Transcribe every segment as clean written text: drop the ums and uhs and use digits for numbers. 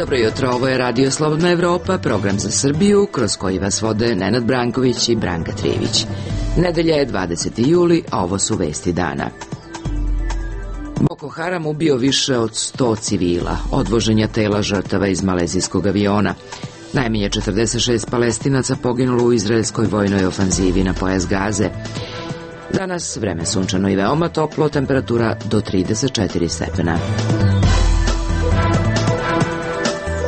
Dobro jutro, ovo je Radio Slobodna Evropa, program za Srbiju, kroz koji vas vode Nenad Branković i Branka Trijević. Nedelja je 20. juli, a ovo su vesti dana. Boko Haram ubio više od 100 civila, odvoženja tela žrtava iz malezijskog aviona. Najmanje 46 Palestinaca poginulo u izraelskoj vojnoj ofanzivi na pojas Gaze. Danas vreme sunčano i veoma toplo, temperatura do 34 stepena.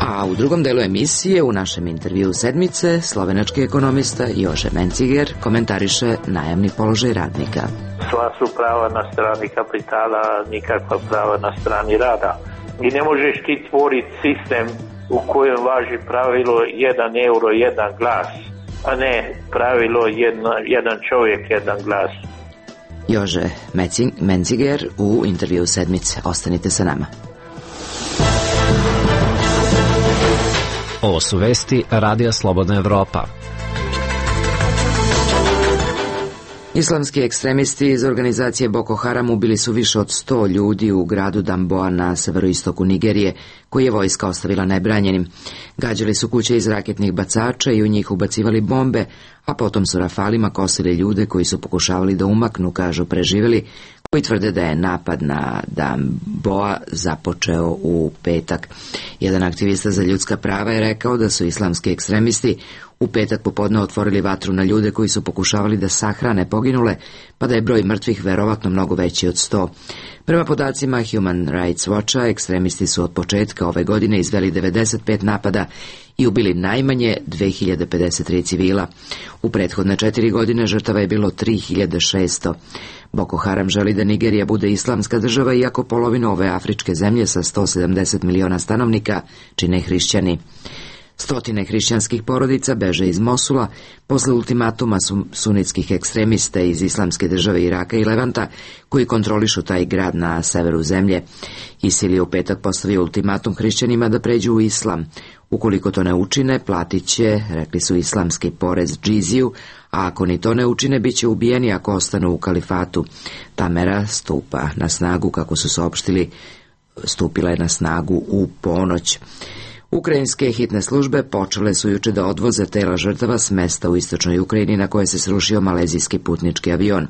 A u drugom delu emisije, u našem intervju sedmice, slovenački ekonomista Jože Menciger komentariše najamni položaj radnika. Sva su prava na strani kapitala, nikakva prava na strani rada. I ne možeš ti stvoriti sistem u kojem važi pravilo 1 euro, 1 glas, a ne pravilo jedan čovjek, 1 glas. Jože Menciger u intervju sedmice. Ostanite sa nama. Ovo su vesti Radija Slobodna Evropa. Islamski ekstremisti iz organizacije Boko Haram ubili su više od 100 ljudi u gradu Damboa na severoistoku Nigerije, koji je vojska ostavila nebranjenim. Gađali su kuće iz raketnih bacača i u njih ubacivali bombe, a potom su rafalima kosili ljude koji su pokušavali da umaknu, kažu preživeli, koji tvrde da je napad na Damboa započeo u petak. Jedan aktivista za ljudska prava je rekao da su islamski ekstremisti u petak popodne otvorili vatru na ljude koji su pokušavali da sahrane poginule, pa da je broj mrtvih verovatno mnogo veći od 100. Prema podacima Human Rights Watcha, ekstremisti su od početka ove godine izveli 95 napada i ubili najmanje 2053 civila. U prethodne 4 godine žrtava je bilo 3600. Boko Haram želi da Nigerija bude islamska država, iako polovinu ove afričke zemlje sa 170 miliona stanovnika čine hrišćani. Stotine hrišćanskih porodica beže iz Mosula posle ultimatuma sunitskih ekstremista iz islamske države Iraka i Levanta, koji kontrolišu taj grad na severu zemlje. ISIL je u petak postavio ultimatum hrišćanima da pređu u islam. Ukoliko to ne učine, platit će, rekli su, islamski porez džiziju, a ako ni to ne učine, bit će ubijeni ako ostanu u kalifatu. Ta mera stupa na snagu, kako su saopštili, stupila je na snagu u ponoć. Ukrajinske hitne službe počele su juče da odvoze tela žrtava s mesta u istočnoj Ukrajini na koje se srušio malezijski putnički avion.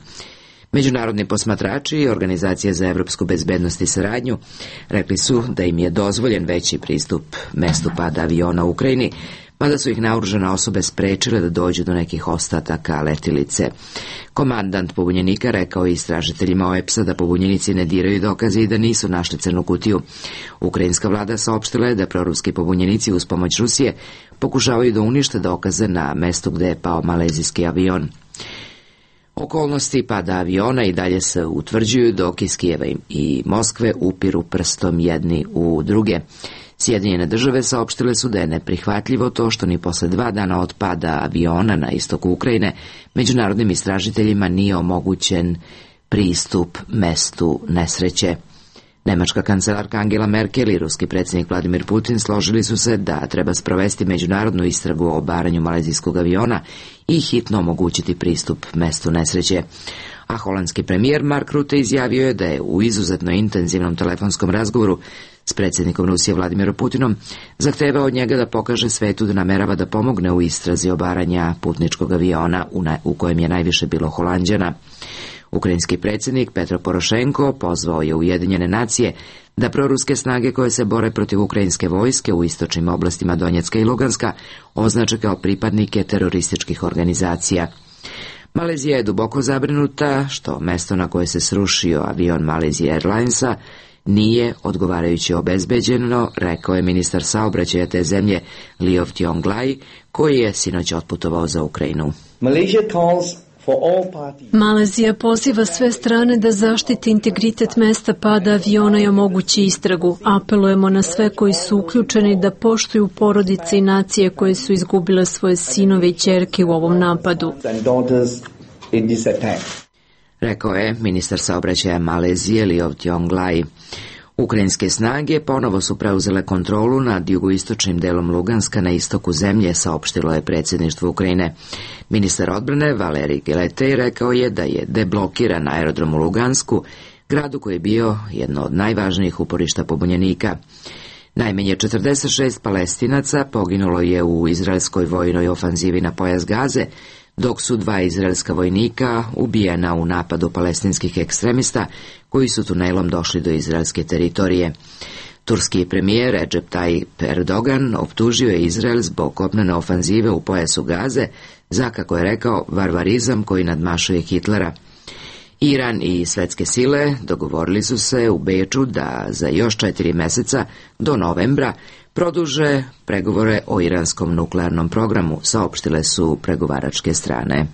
Međunarodni posmatrači i Organizacija za evropsku bezbednost i saradnju rekli su da im je dozvoljen veći pristup mestu pada aviona u Ukrajini, mada su ih naoružane osobe sprečile da dođu do nekih ostataka letilice. Komandant pobunjenika rekao je istražiteljima OEPS-a da pobunjenici ne diraju dokaze i da nisu našli crnu kutiju. Ukrajinska vlada saopštila je da proruski pobunjenici uz pomoć Rusije pokušavaju da unište dokaze na mestu gde je pao malezijski avion. Okolnosti pada aviona i dalje se utvrđuju, dok iz Kijeva i Moskve upiru prstom jedni u druge. Sjedinjene države saopštile su da je neprihvatljivo to što ni posle 2 dana od pada aviona na istoku Ukrajine međunarodnim istražiteljima nije omogućen pristup mestu nesreće. Nemačka kancelarka Angela Merkel i ruski predsjednik Vladimir Putin složili su se da treba sprovesti međunarodnu istragu o obaranju malezijskog aviona i hitno omogućiti pristup mestu nesreće. A holandski premijer Mark Rutte izjavio je da je u izuzetno intenzivnom telefonskom razgovoru s predsjednikom Rusije Vladimirom Putinom zahtevao od njega da pokaže svetu da namerava da pomogne u istrazi obaranja putničkog aviona u kojem je najviše bilo Holanđana. Ukrajinski predsjednik Petro Porošenko pozvao je Ujedinjene nacije da proruske snage koje se bore protiv ukrajinske vojske u istočnim oblastima Donjecka i Luganska označe kao pripadnike terorističkih organizacija. Malezija je duboko zabrinuta što mesto na koje se srušio avion Malaysia Airlinesa nije odgovarajuće obezbeđeno, rekao je ministar saobraćaja te zemlje Liov Tionglai, koji je sinoć otputovao za Ukrajinu. Malezija poziva sve strane da zaštiti integritet mesta pada aviona i omogući istragu. Apelujemo na sve koji su uključeni da poštuju porodice i nacije koje su izgubile svoje sinove i ćerke u ovom napadu, rekao je ministar saobraćaja Malezije Liov Tionglai. Ukrajinske snage ponovo su preuzele kontrolu nad jugoistočnim delom Luganska na istoku zemlje, saopštilo je predsjedništvo Ukrajine. Ministar odbrane Valerij Geletej rekao je da je deblokiran aerodrom u Lugansku, gradu koji je bio jedno od najvažnijih uporišta pobunjenika. Najmanje 46 Palestinaca poginulo je u izraelskoj vojnoj ofanzivi na pojas Gaze, dok su 2 izraelska vojnika ubijena u napadu palestinskih ekstremista koji su tunelom došli do izraelske teritorije. Turski premijer Recep Tayyip Erdogan optužio je Izrael zbog kopnene ofanzive u pojasu Gaze za, kako je rekao, varvarizam koji nadmašuje Hitlera. Iran i svetske sile dogovorili su se u Beču da za još 4 meseca do novembra produže pregovore o iranskom nuklearnom programu, saopštile su pregovaračke strane.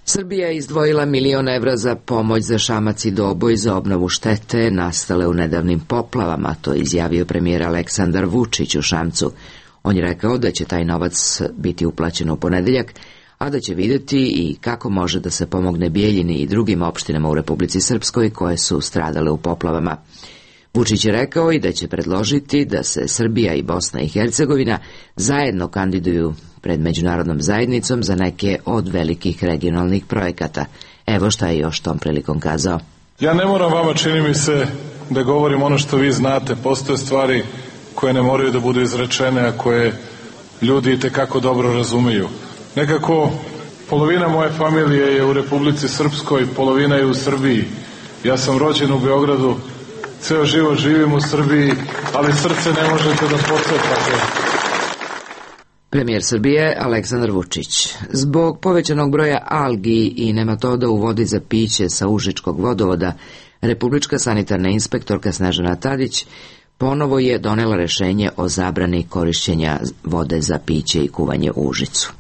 Srbija je izdvojila 1 milion evra za pomoć za Šamac i Doboj za obnovu štete nastale u nedavnim poplavama, to je izjavio premijer Aleksandar Vučić u Šamcu. On je rekao da će taj novac biti uplaćen u ponedeljak, a da će vidjeti i kako može da se pomogne Bijeljini i drugim opštinama u Republici Srpskoj koje su stradale u poplavama. Vučić je rekao i da će predložiti da se Srbija i Bosna i Hercegovina zajedno kandiduju pred međunarodnom zajednicom za neke od velikih regionalnih projekata. Evo šta je još tom prilikom kazao. Ja ne moram vama, čini mi se, da govorim ono što vi znate. Postoje stvari koje ne moraju da budu izrečene, a koje ljudi itekako dobro razumeju. Nekako polovina moje familije je u Republici Srpskoj, polovina je u Srbiji. Ja sam rođen u Beogradu, ceo život živim u Srbiji, ali srce ne možete da pocepate. Premijer Srbije Aleksandar Vučić. Zbog povećanog broja algi i nematoda u vodi za piće sa Užičkog vodovoda, Republička sanitarna inspektorka Snežana Tadić ponovo je donela rešenje o zabrani korišćenja vode za piće i kuvanje u Užicu.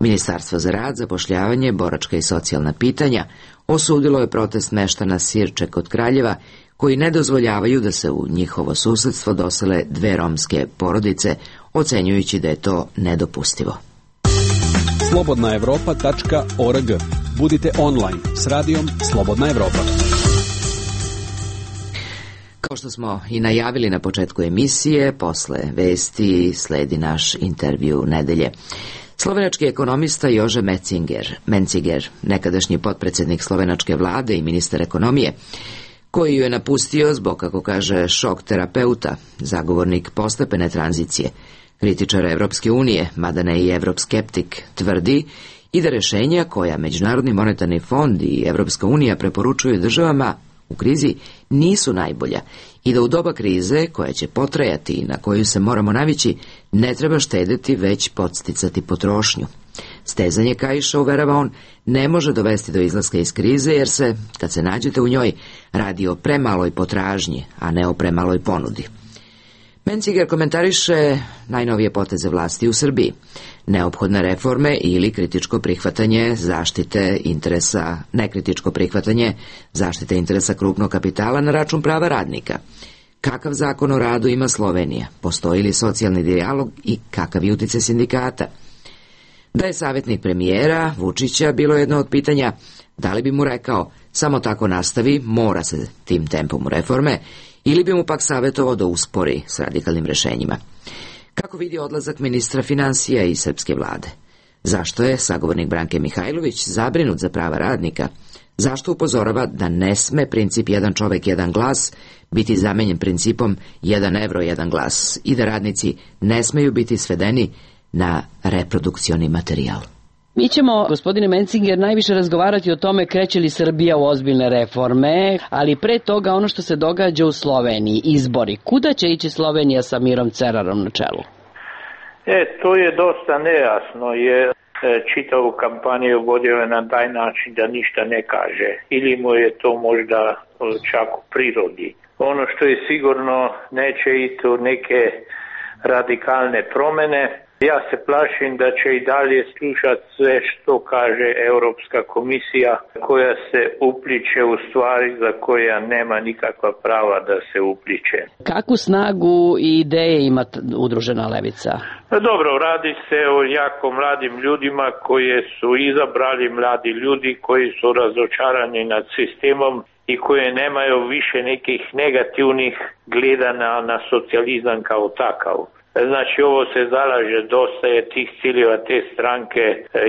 Ministarstvo za rad, zapošljavanje, boračka i socijalna pitanja osudilo je protest meštana Sirče kod Kraljeva, koji ne dozvoljavaju da se u njihovo susedstvo dosele 2 romske porodice, ocenjujući da je to nedopustivo. slobodnaevropa.org. Budite online s radijom Slobodna Evropa. Kao što smo i najavili na početku emisije, posle vesti sledi naš intervju nedelje. Slovenački ekonomista Jože Menciger, nekadašnji potpredsjednik slovenačke vlade i ministar ekonomije, koji ju je napustio zbog, kako kaže, šok terapeuta, zagovornik postepene tranzicije, kritičar Evropske unije, mada ne i evroskeptik, tvrdi i da rešenja koja Međunarodni monetarni fond i Evropska unija preporučuju državama u krizi nisu najbolja i da u doba krize, koja će potrajati i na koju se moramo navići, ne treba štedeti, već podsticati potrošnju. Stezanje kaiša, uverava on, ne može dovesti do izlaska iz krize, jer se, kad se nađete u njoj, radi o premaloj potražnji, a ne o premaloj ponudi. Menciger komentariše najnovije poteze vlasti u Srbiji, neophodne reforme ili kritičko prihvatanje zaštite interesa, nekritičko prihvatanje zaštite interesa krupnog kapitala na račun prava radnika. Kakav zakon o radu ima Slovenija? Postoji li socijalni dijalog i kakav je uticaj sindikata? Da je savjetnik premijera Vučića bilo jedno od pitanja, da li bi mu rekao samo tako nastavi, mora se tim tempom u reforme, ili bi mu pak savjetovao da uspori s radikalnim rešenjima. Kako vidi odlazak ministra finansija i srpske vlade? Zašto je sagovornik Branke Mihajlović zabrinut za prava radnika? Zašto upozorava da ne sme princip jedan čovek, jedan glas biti zamenjen principom 1 evro, 1 glas i da radnici ne smeju biti svedeni na reprodukcioni materijal? Mi ćemo, gospodine Menciger, najviše razgovarati o tome kreće li Srbija u ozbiljne reforme, ali pre toga ono što se događa u Sloveniji, izbori. Kuda će ići Slovenija sa Mirom Cerarom na čelu? To je dosta nejasno, jer čitavu kampanju vodio je na taj način da ništa ne kaže. Ili mu je to možda čak u prirodi. Ono što je sigurno, neće ići u neke radikalne promene. Ja se plašim da će i dalje slušati sve što kaže Europska komisija, koja se upliče u stvari za koja nema nikakva prava da se upliče. Kakvu snagu i ideje ima udružena levica? Dobro, radi se o jako mladim ljudima koje su izabrali mladi ljudi koji su razočarani nad sistemom i koje nemaju više nekih negativnih gledana na socijalizam kao takav. Znači, ovo se zalaže, dosta je tih ciljeva te stranke,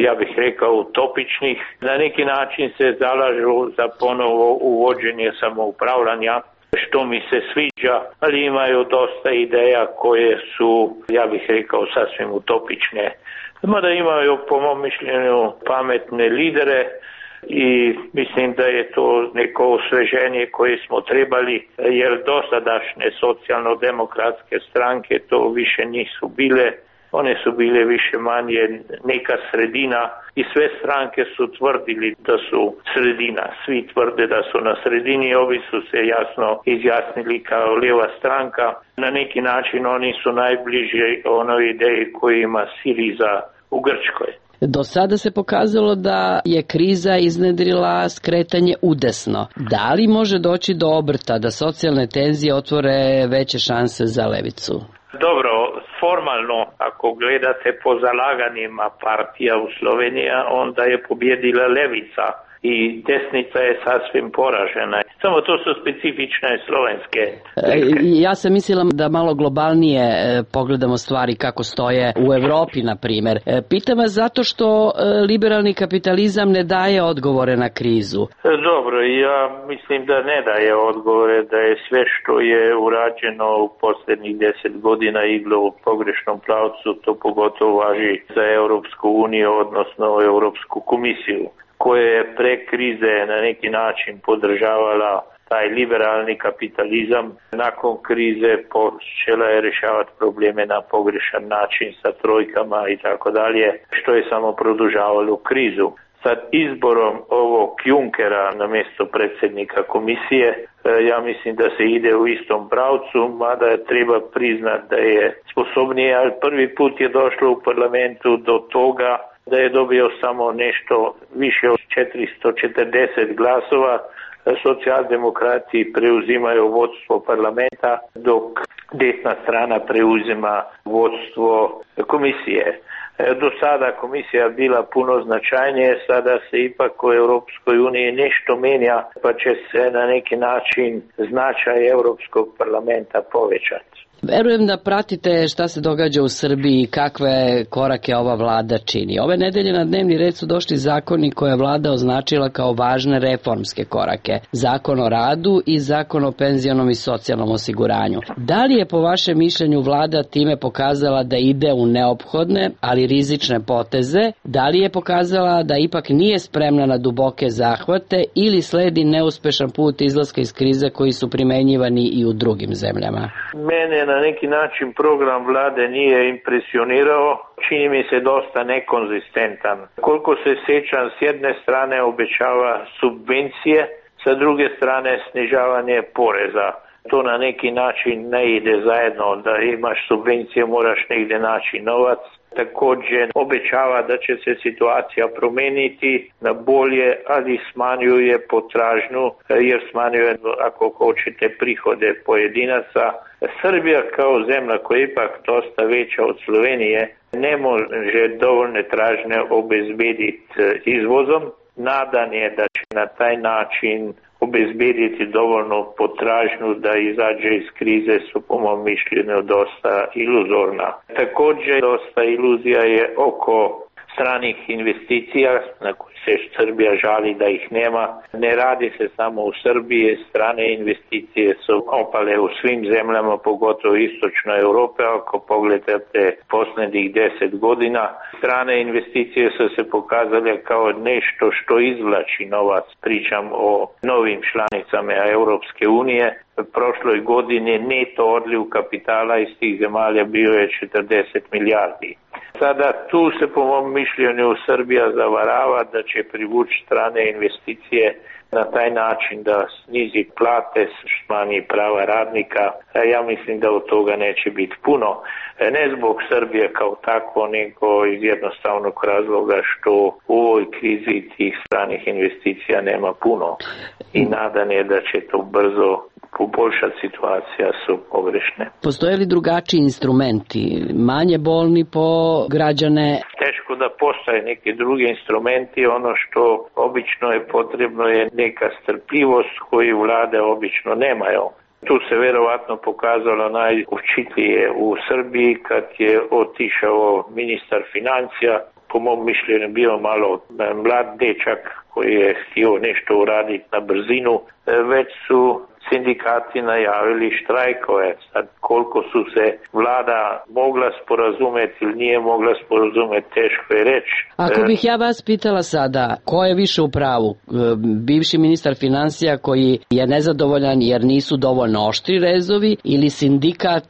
ja bih rekao, utopičnih. Na neki način se zalažu za ponovo uvođenje samoupravljanja, što mi se sviđa, ali imaju dosta ideja koje su, ja bih rekao, sasvim utopične. Mada imaju, po mom mišljenju, pametne lidere i mislim da je to neko osveženje koje smo trebali, jer dosadašnje socijalno-demokratske stranke to više nisu bile. One su bile više manje neka sredina i sve stranke su tvrdili da su sredina. Svi tvrde da su na sredini, ovi su se jasno izjasnili kao lijeva stranka. Na neki način oni su najbliži onoj ideji koju ima Siriza u Grčkoj. Do sada se pokazalo da je kriza iznedrila skretanje udesno. Da li može doći do obrta, da socijalne tenzije otvore veće šanse za levicu? Dobro, formalno, ako gledate po zalaganjima partija u Sloveniji, onda je pobjedila levica i desnica je sasvim poražena. Samo to su specifične slovenske. Ja sam mislila da malo globalnije pogledamo stvari kako stoje u Evropi, na primjer. Pitam vas zato što liberalni kapitalizam ne daje odgovore na krizu. Dobro, ja mislim da ne daje odgovore, da je sve što je urađeno u posljednjih 10 godina iglo u pogrešnom pravcu, to pogotovo važi za Europsku uniju, odnosno Europsku komisiju, koja je pre krize na neki način podržavala taj liberalni kapitalizam. Nakon krize počela je rješavati probleme na pogrešan način sa trojkama i tako dalje, što je samo produžavalo krizu. Sad izborom ovog Junckera na mjesto predsjednika komisije, ja mislim da se ide u istom pravcu, mada treba priznat da je sposobnije, ali prvi put je došlo u parlamentu do toga da je dobio samo nešto više od 440 glasova. Socijaldemokrati preuzimaju vodstvo parlamenta, dok desna strana preuzima vodstvo komisije. Do sada komisija bila puno značajnije, sada se ipak u Europskoj uniji nešto menja, pa će se na neki način značaj Europskog parlamenta povećati. Verujem da pratite šta se događa u Srbiji i kakve korake ova vlada čini. Ove nedelje na dnevni red su došli zakoni koje je vlada označila kao važne reformske korake. Zakon o radu i zakon o penzionom i socijalnom osiguranju. Da li je po vašem mišljenju vlada time pokazala da ide u neophodne, ali rizične poteze? Da li je pokazala da ipak nije spremna na duboke zahvate ili sledi neuspešan put izlaska iz krize koji su primenjivani i u drugim zemljama? Mene na neki način program vlade nije impresionirao, čini mi se dosta nekonzistentan. Koliko se sjećam, s jedne strane obećava subvencije, sa druge strane snižavanje poreza. To na neki način ne ide zajedno, da imaš subvencije, moraš negdje naći novac. Također obećava da će se situacija promijeniti na bolje, ali smanjuje potražnju, jer smanjuje, ako hoćete, prihode pojedinaca. Srbija kao zemlja koja je ipak dosta veća od Slovenije ne može dovoljne tražnje obezbediti izvozom. Nadan je da će na taj način obezbediti dovoljno potražnju da izađe iz krize su po mom mišljenju dosta iluzorna. Također dosta iluzija je oko stranih investicija na koje se Srbija žali da ih nema. Ne radi se samo u Srbiji, strane investicije su opale u svim zemljama, pogotovo istočnoj Europe. Ako pogledate posljednjih 10 godina, strane investicije su se pokazale kao nešto što izvlači novac. Pričam o novim članicama Europske unije. Prošloj godini neto odliv kapitala iz tih zemalja bio je 40 milijardi. Sada tu se po mom mišljenju Srbija zavarava da će privući strane investicije na taj način da snizi plate, smanji prava radnika. Ja mislim da od toga neće biti puno. Ne zbog Srbije kao tako, nego iz jednostavnog razloga što u ovoj krizi tih stranih investicija nema puno. I nadan je da će to brzo poboljšati, situacija su pogrešne. Postoje li drugačiji instrumenti, manje bolni po građane? Teško da postoje neki drugi instrumenti. Ono što obično je potrebno je neka strpljivost koju vlade obično nemaju. Tu se vjerovatno pokazalo najučitlije u Srbiji kad je otišao ministar financija. Po mom mišljenju bio malo mlad dečak koji je htio nešto uraditi na brzinu. Već su sindikati najavili štrajkove. Sad koliko su se vlada mogla sporazumeti ili nije mogla sporazumeti, teško je reći. Ako bih ja vas pitala sada, ko je više u pravu? Bivši ministar finansija koji je nezadovoljan jer nisu dovoljno oštri rezovi ili sindikat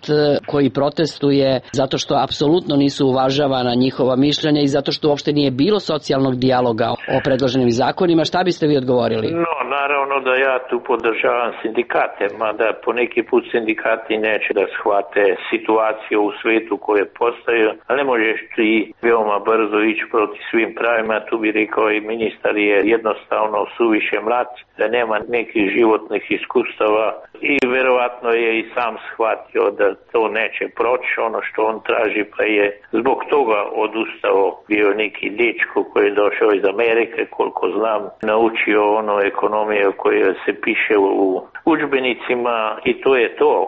koji protestuje zato što apsolutno nisu uvažavana njihova mišljenja i zato što uopšte nije bilo socijalnog dijaloga o predloženim zakonima? Šta biste vi odgovorili? No, naravno da ja tu podržavam sindikate, mada po neki put sindikati neće da shvate situaciju u svetu koje postaju, ali ne možeš ti veoma brzo ići proti svim pravima. Tu bi rekao i ministar je jednostavno suviše mlad, da nema nekih životnih iskustava i verovatno je i sam shvatio da to neće proći, ono što on traži, pa je zbog toga odustao. Bio neki dečko koji je došao iz Amerike, koliko znam, naučio ono ekonomiju koja se piše u udžbenicima i to je to.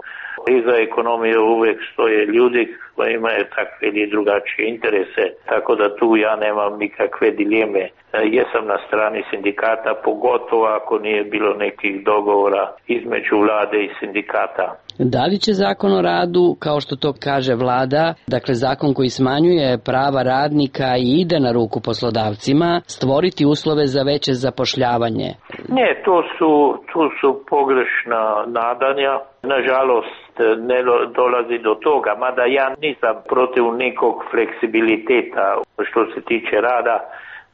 Iza ekonomije uvijek stoje ljudi koji imaju takve ili drugačije interese, tako da tu ja nemam nikakve dileme. Jesam na strani sindikata, pogotovo ako nije bilo nekih dogovora između vlade i sindikata. Da li će zakon o radu, kao što to kaže vlada, dakle zakon koji smanjuje prava radnika i ide na ruku poslodavcima, stvoriti uslove za veće zapošljavanje? Ne, tu su pogrešna nadanja. Nažalost, ne dolazi do toga, mada ja nisam protiv nekog fleksibiliteta što se tiče rada,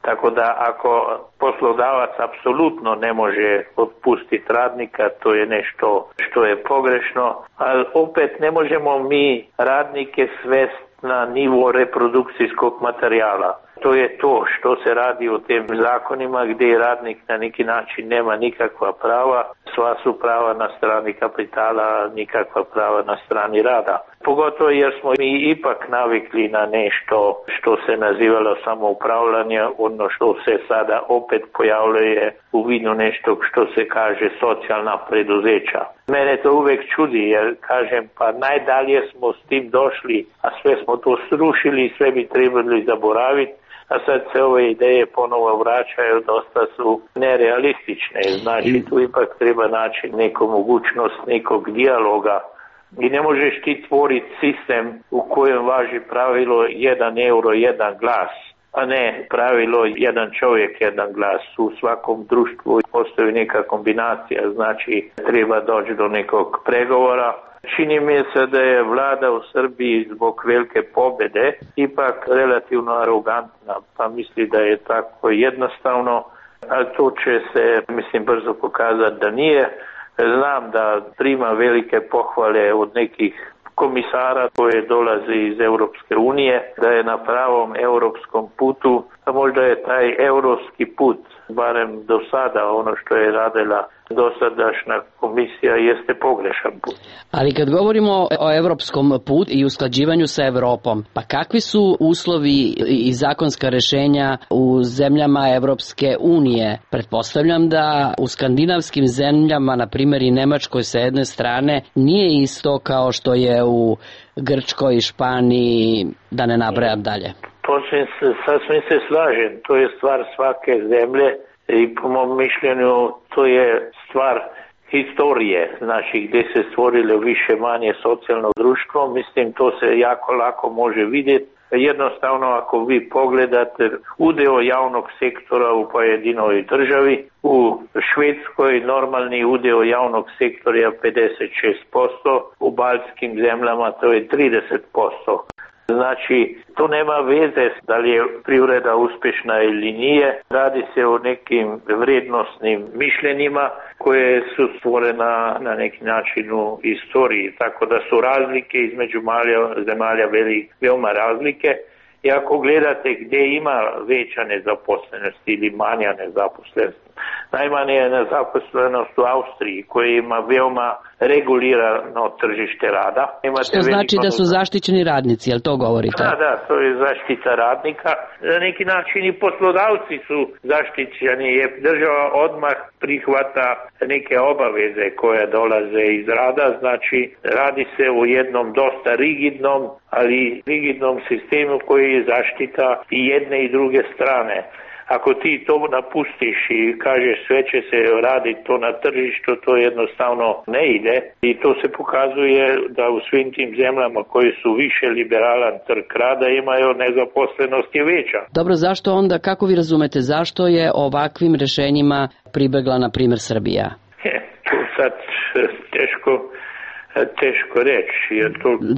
tako da ako poslodavac apsolutno ne može otpustiti radnika, to je nešto što je pogrešno, ali opet ne možemo mi radnike svesti na nivo reprodukcijskog materijala. To je to što se radi u tim zakonima gdje radnik na neki način nema nikakva prava, sva su prava na strani kapitala, nikakva prava na strani rada. Pogotovo jer smo mi ipak navikli na nešto što se nazivalo samoupravljanje, ono što se sada opet pojavljuje u vidu nešto što se kaže socijalna preduzeća. Mene to uvijek čudi jer kažem pa najdalje smo s tim došli, a sve smo to srušili i sve bi trebali zaboraviti. A sad se ove ideje ponovo vraćaju, dosta su nerealistične. Znači tu ipak treba naći neku mogućnost nekog dijaloga. I ne možeš ti tvoriti sistem u kojem važi pravilo 1 euro, 1 glas, a ne pravilo 1 čovjek, 1 glas. U svakom društvu postoji neka kombinacija, znači treba doći do nekog pregovora. Čini mi se da je vlada u Srbiji zbog velike pobjede ipak relativno arogantna, pa misli da je tako jednostavno, a to će se, brzo pokazati da nije. Znam da prima velike pohvale od nekih komisara koje dolaze iz Europske unije, da je na pravom europskom putu, a možda je taj europski put, barem do sada, ono što je radila dosadašnja komisija, jeste pogrešan put. Ali kad govorimo o europskom putu i usklađivanju sa Europom, pa kakvi su uslovi i zakonska rješenja u zemljama Europske unije? Pretpostavljam da u skandinavskim zemljama, na primjer i Nemačkoj sa jedne strane, nije isto kao što je u Grčkoj i Španiji, da ne nabrajam dalje. Sasvim se slažem, to je stvar svake zemlje i po mom mišljenju to je stvar historije, znači gdje se stvorilo više manje socijalno društvo, to se jako lako može vidjeti. Jednostavno ako vi pogledate udeo javnog sektora u pojedinoj državi, u Švedskoj normalni udeo javnog sektora je 56%, u baltskim zemljama to je 30%. Znači, to nema veze da li je privreda uspješna ili nije. Radi se o nekim vrijednosnim mišljenjima koje su stvorena na neki način u istoriji. Tako da su razlike između zemalja veoma razlike. I ako gledate gdje ima veća nezaposlenost ili manja nezaposlenost, najmanje je nezaposlenost u Austriji koja ima veoma regulirano tržište rada. Što znači da su zaštićeni radnici, jel to govorite? Da, to je zaštita radnika. Na neki način i poslodavci su zaštićeni jer država odmah prihvata neke obaveze koje dolaze iz rada. Znači radi se o jednom dosta rigidnom, ali rigidnom sistemu koji je zaštita i jedne i druge strane. Ako ti to napustiš i kažeš sve će se raditi to na tržištu, to jednostavno ne ide i to se pokazuje da u svim tim zemljama koji su više liberalan trg rada imaju nezaposlenost je veća. Dobro, zašto onda, kako vi razumete, zašto je ovakvim rešenjima pribegla, na primjer, Srbija? To sad teško reći.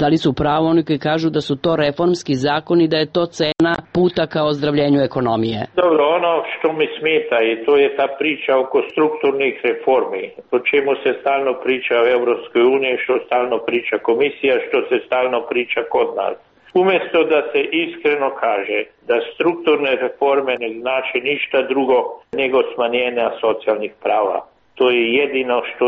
Da li su pravo oni koji kažu da su to reformski zakoni, da je to cena puta ka ozdravljenju ekonomije? Dobro, ono što mi smeta i to je ta priča oko strukturnih reformi, o čemu se stalno priča u Evropskoj uniji, što stalno priča komisija, što se stalno priča kod nas. Umjesto da se iskreno kaže da strukturne reforme ne znači ništa drugo nego smanjenja socijalnih prava. To je jedino što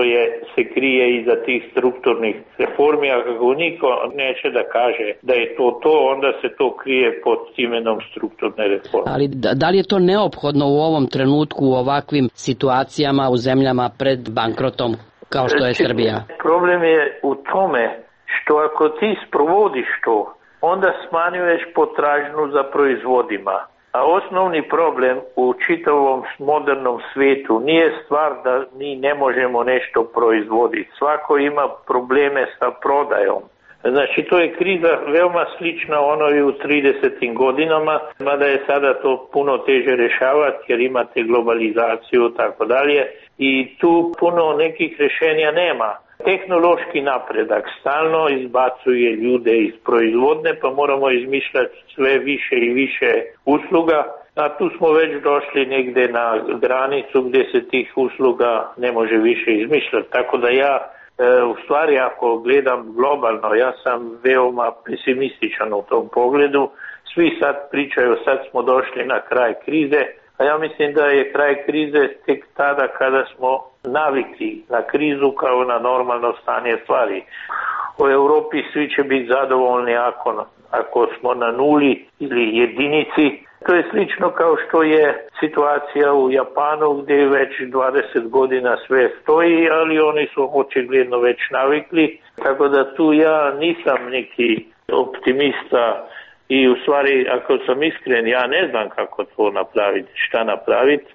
se krije iza tih strukturnih reformi, a kako niko neće da kaže da je to, onda se to krije pod imenom strukturne reforme. Ali da li je to neophodno u ovom trenutku, u ovakvim situacijama u zemljama pred bankrotom kao što je Srbija? Problem je u tome što ako ti sprovodiš to, onda smanjuješ potražnju za proizvodima. A osnovni problem u čitavom modernom svijetu nije stvar da mi ne možemo nešto proizvoditi. Svako ima probleme sa prodajom. Znači, to je kriza veoma slična onoj u 30. godinama, mada je sada to puno teže rješavati jer imate globalizaciju i tako dalje i tu puno nekih rješenja nema. Tehnološki napredak stalno izbacuje ljude iz proizvodne, pa moramo izmišljati sve više i više usluga, a tu smo već došli negdje na granicu gdje se tih usluga ne može više izmišljati. Tako da ja, u stvari ako gledam globalno, ja sam veoma pesimističan u tom pogledu. Svi sad pričaju, sad smo došli na kraj krize, a ja mislim da je kraj krize tek tada kada smo navikli na krizu kao na normalno stanje stvari. U Europi svi će biti zadovoljni ako smo na nuli ili jedinici. To je slično kao što je situacija u Japanu gdje već 20 godina sve stoji, ali oni su očigledno već navikli. Tako da tu ja nisam neki optimista. I u stvari, ako sam iskren, ja ne znam kako to napraviti, šta napraviti.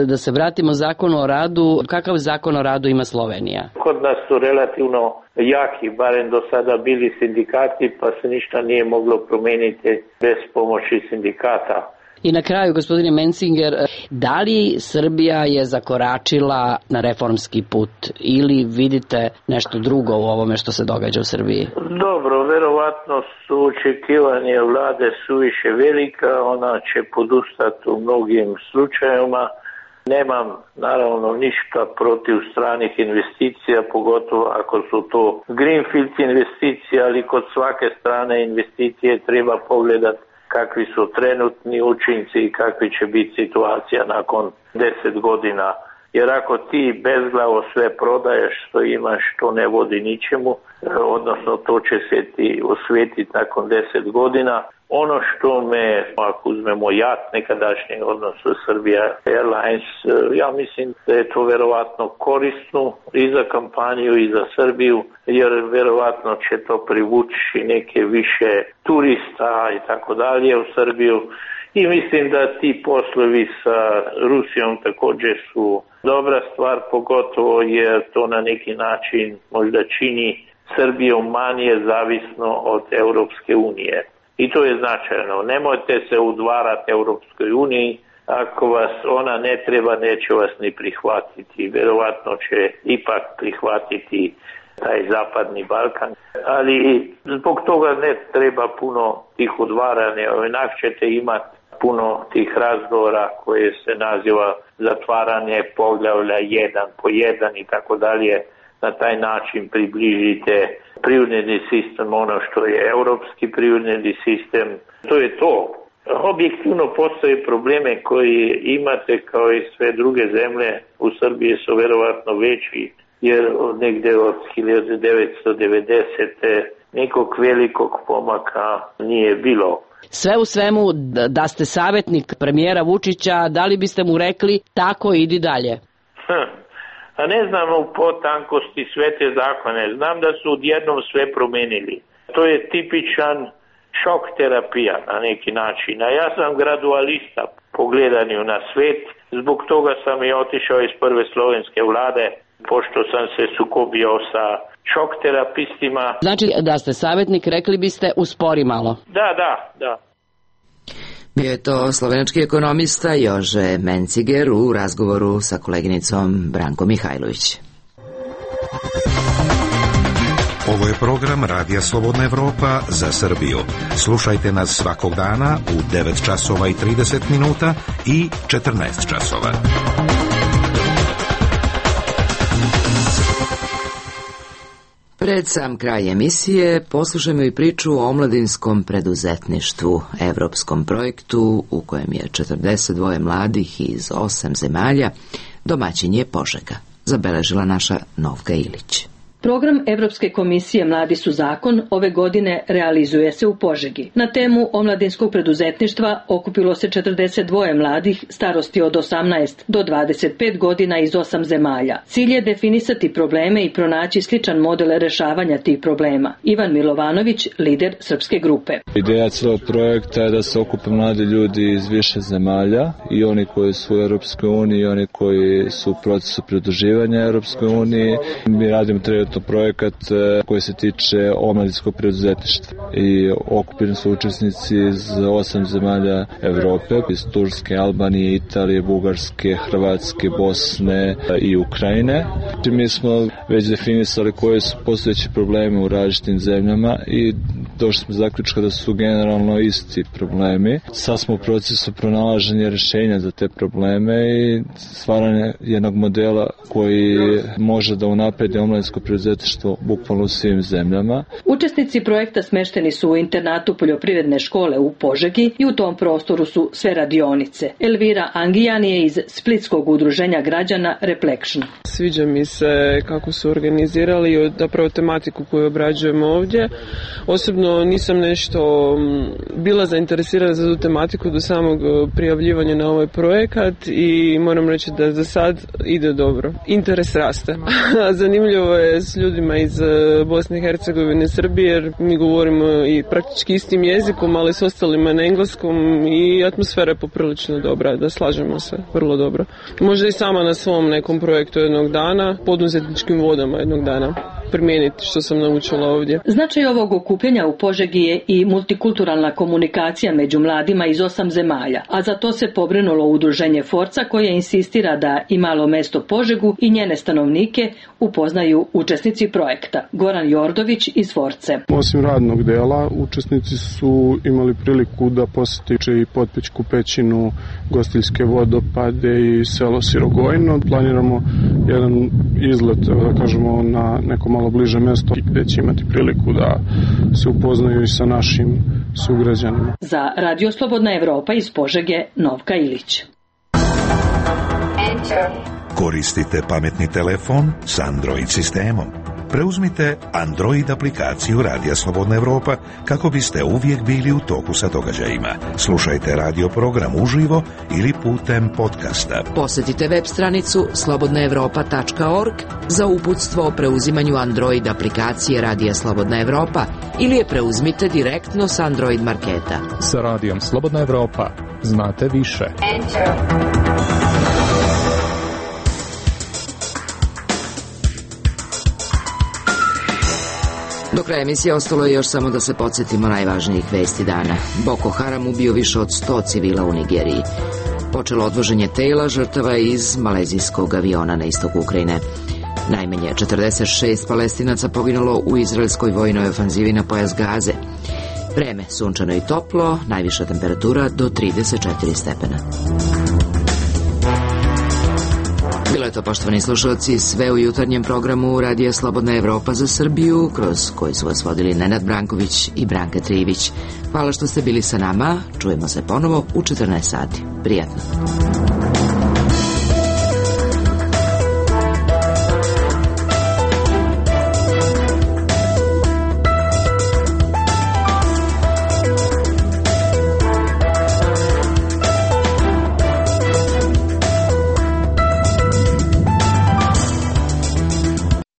Da se vratimo zakonu o radu, kakav zakon o radu ima Slovenija? Kod nas su relativno jaki, barem do sada bili sindikati, pa se ništa nije moglo promijeniti bez pomoći sindikata. I na kraju, gospodine Mencinger, da li Srbija je zakoračila na reformski put ili vidite nešto drugo u ovome što se događa u Srbiji? Dobro, verovatno su očekivanje vlade suviše velika, ona će podustati u mnogim slučajevima. Nemam naravno ništa protiv stranih investicija, pogotovo ako su to greenfield investicije, ali kod svake strane investicije treba pogledati kakvi su trenutni učinci i kakvi će biti situacija nakon 10 godina. Jer ako ti bezglavo sve prodaješ što imaš, to ne vodi ničemu, odnosno to će se ti osvetiti nakon 10 godina. Ono što me, ako uzmemo JAT nekadašnji, odnosno Serbia Airlines, ja mislim da je to verovatno korisno i za kampanju i za Srbiju, jer verovatno će to privući neke više turista i tako dalje u Srbiju. I mislim da ti poslovi sa Rusijom također su dobra stvar, pogotovo jer to na neki način možda čini Srbiju manje zavisno od Europske unije. I to je značajno. Nemojte se udvarati Europskoj uniji. Ako vas ona ne treba, neće vas ni prihvatiti. Verovatno će ipak prihvatiti taj zapadni Balkan. Ali zbog toga ne treba puno tih udvaranja. Onak ćete imati puno tih razgovora koje se naziva zatvaranje poglavlja 1 po 1 i tako dalje. Na taj način približite privredni sistem, ono što je europski privredni sistem. To je to. Objektivno postoje probleme koji imate kao i sve druge zemlje. U Srbiji su verovatno veći, jer negdje od 1990. nekog velikog pomaka nije bilo. Sve u svemu, da ste savjetnik premijera Vučića, da li biste mu rekli tako idi dalje? A ne znam u potankosti sve te zakone. Znam da su odjednom sve promenili. To je tipičan šok terapija na neki način. A ja sam gradualista. po gledanju na svet. Zbog toga sam i otišao iz prve slovenske vlade, pošto sam se sukobio sa šok terapistima. Znači da ste savjetnik, rekli biste, uspori malo. Da. Bio je to slovenački ekonomista Jože Menciger u razgovoru sa koleginicom Brankom Mihajlović. Ovo je program Radija Slobodna Evropa za Srbiju. Slušajte nas svakog dana u 9 časova i 30 minuta i 14 časova. Pred sam kraj emisije poslušajmo i priču o omladinskom preduzetništvu, evropskom projektu u kojem je 42 mladih iz 8 zemalja, domaćin je Požega, zabeležila naša Novka Ilić. Program Evropske komisije Mladi su zakon ove godine realizuje se u Požegi. Na temu omladinskog preduzetništva okupilo se 42 mladih starosti od 18 do 25 godina iz 8 zemalja. Cilj je definisati probleme i pronaći sličan model rešavanja tih problema. Ivan Milovanović, lider srpske grupe. Ideja celog projekta je da se okupe mladi ljudi iz više zemalja, i oni koji su u Europskoj uniji i oni koji su u procesu pridruživanja Europskoj uniji. Mi radimo projekat koji se tiče omladinskog preduzetništva i okupljeni su učesnici iz 8 zemalja Evrope, iz Turske, Albanije, Italije, Bugarske, Hrvatske, Bosne i Ukrajine. Mi smo već definisali koje su postojeći problemi u različitim zemljama i došli smo zaključka da su generalno isti problemi. Sad smo u procesu pronalaženja rješenja za te probleme i stvaranje jednog modela koji može da unapredi omladinsko preduzetništvo bukvalno u svim zemljama. Učesnici projekta smešteni su u internatu poljoprivredne škole u Požegi i u tom prostoru su sve radionice. Elvira Angijan je iz Splitskog udruženja građana Reflection. Sviđa mi se kako su organizirali i zapravo tematiku koju obrađujemo ovdje. Osobno nisam nešto bila zainteresirana za tu tematiku do samog prijavljivanja na ovaj projekat i moram reći da za sad ide dobro. Interes raste. Zanimljivo je s ljudima iz Bosne i Hercegovine, Srbije, jer mi govorimo i praktički istim jezikom, ali s ostalima na engleskom i atmosfera je poprilično dobra, da slažemo se, vrlo dobro. Možda i sama na svom nekom projektu jednog dana, poduzetničkim vodama jednog dana primijeniti što sam naučila ovdje. Značaj ovog okupljanja u Požegi je i multikulturalna komunikacija među mladima iz 8 zemalja, a za to se pobrinulo udruženje Forca koje insistira da i malo mesto Požegu i njene stanovnike upoznaju učesnici projekta. Goran Jordović iz Force. Osim radnog dela, učesnici su imali priliku da posjeti i Potpećku pećinu, Gostiljske vodopade i selo Sirogojno. Planiramo jedan izlet, da kažemo, na neko malo bliže mesto gde će imati priliku da se upoznaju i sa našim sugrađanima. Za Radio Slobodna Evropa iz Požege, Novka Ilić. Koristite pametni telefon s Android sistemom. Preuzmite Android aplikaciju Radija Slobodna Evropa kako biste uvijek bili u toku sa događajima. Slušajte radio program uživo ili putem podcasta. Posjetite web stranicu slobodnaevropa.org za uputstvo o preuzimanju Android aplikacije Radija Slobodna Evropa ili je preuzmite direktno s Android marketa. Sa Radijom Slobodna Evropa znate više. Do kraja emisije ostalo je još samo da se podsjetimo najvažnijih vesti dana. Boko Haram ubio više od 100 civila u Nigeriji. Počelo odvoženje tela žrtava iz malezijskog aviona na istoku Ukrajine. Najmanje 46 Palestinaca poginulo u izraelskoj vojnoj ofanzivi na pojas Gaze. Vreme sunčano i toplo, najviša temperatura do 34 stepena. Bilo je to, poštovani slušalci, sve u jutarnjem programu Radija Slobodna Evropa za Srbiju, kroz koji su vas vodili Nenad Branković i Branka Trivić. Hvala što ste bili sa nama, čujemo se ponovo u 14 sati. Prijatno.